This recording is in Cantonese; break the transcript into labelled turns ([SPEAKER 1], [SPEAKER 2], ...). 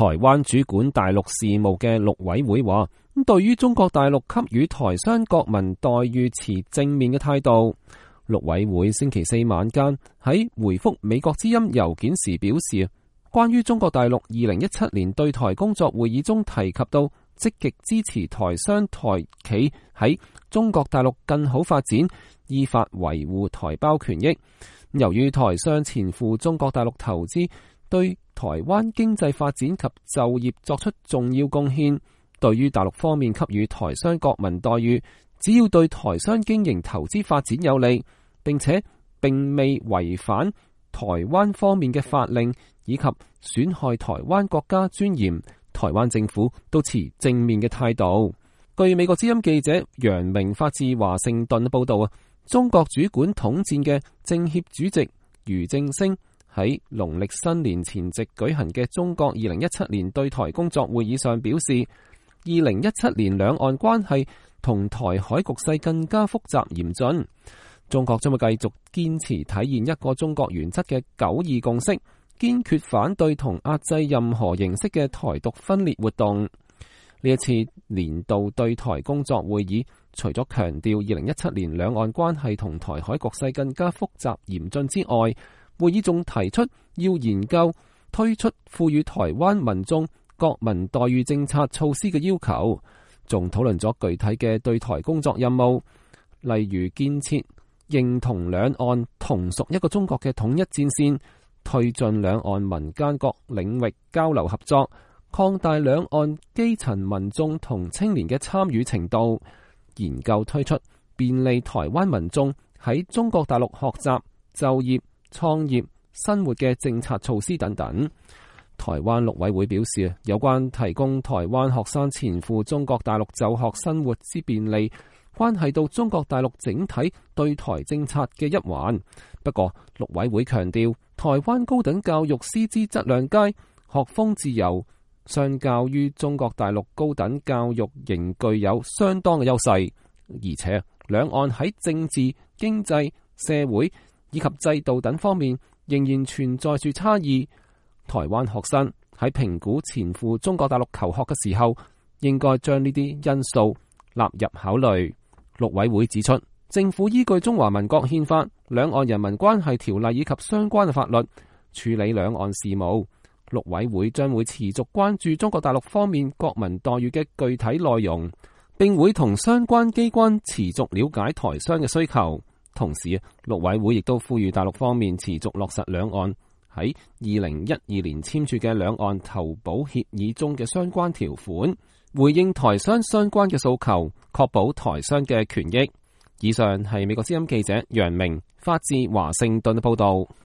[SPEAKER 1] 台灣主管大陸事務嘅陸委會話，對於中國大陸給予台商國民待遇持正面嘅態度。陸委會星期四晚間喺回覆美國之音郵件時表示，關於中國大陸2017年對台工作會議中提及到積極支持台商台企喺中國大陸更好發展，依法維護台胞權益。由於台商前赴中國大陸投資，對台灣經濟發展及就業作出重要貢獻，對於大陸方面給予台商國民待遇，只要對台商經營投資發展有利，並且並未違反台灣方面嘅法令以及損害台灣國家尊嚴，台灣政府都持正面嘅態度。據美國之音記者楊明發自華盛頓報道，中國主管統戰嘅政協主席俞正聲喺農曆新年前夕舉行嘅中國2017年對台工作會議上表示，2017年兩岸關係同台海局勢更加複雜嚴峻，中國將會繼續堅持體現一個中國原則嘅9·2共識，堅決反對同壓制任何形式嘅台獨分裂活動。呢一次年度對台工作會議，除咗強調2017年兩岸關係同台海局勢更加複雜嚴峻之外，會議仲提出要研究推出賦予台灣民眾國民待遇政策措施嘅要求，仲討論咗具體嘅對台工作任務，例如建設認同兩岸同屬一個中國嘅統一戰線，推進兩岸民間各領域交流合作，擴大兩岸基層民眾同青年嘅參與程度，研究推出便利台灣民眾喺中國大陸學習、就業、創業、生活嘅政策措施等等。台灣陸委會表示，有關提供台灣學生前赴中國大陸就學生活之便利，關係到中國大陸整體對台政策嘅一環。不過，陸委會強調，台灣高等教育師資質量佳，學風自由，相較於中國大陸高等教育仍具有相當嘅優勢，而且兩岸喺政治、經濟、社會以及制度等方面仍然存在住差異。台灣學生喺評估前赴中國大陸求學嘅時候，應該將呢啲因素納入考慮。陸委會指出，政府依據中華民國憲法、兩岸人民關係條例以及相關嘅法律處理兩岸事務。陸委會將會持續關注中國大陸方面國民待遇嘅具體內容，並會同相關機關持續了解台商嘅需求。同時，陸委會亦都呼籲大陸方面持續落實兩岸喺2012年簽署嘅兩岸投保協議中嘅相關條款，回應台商相關嘅訴求，確保台商嘅權益。以上係美國之音記者楊明發自華盛頓嘅報道。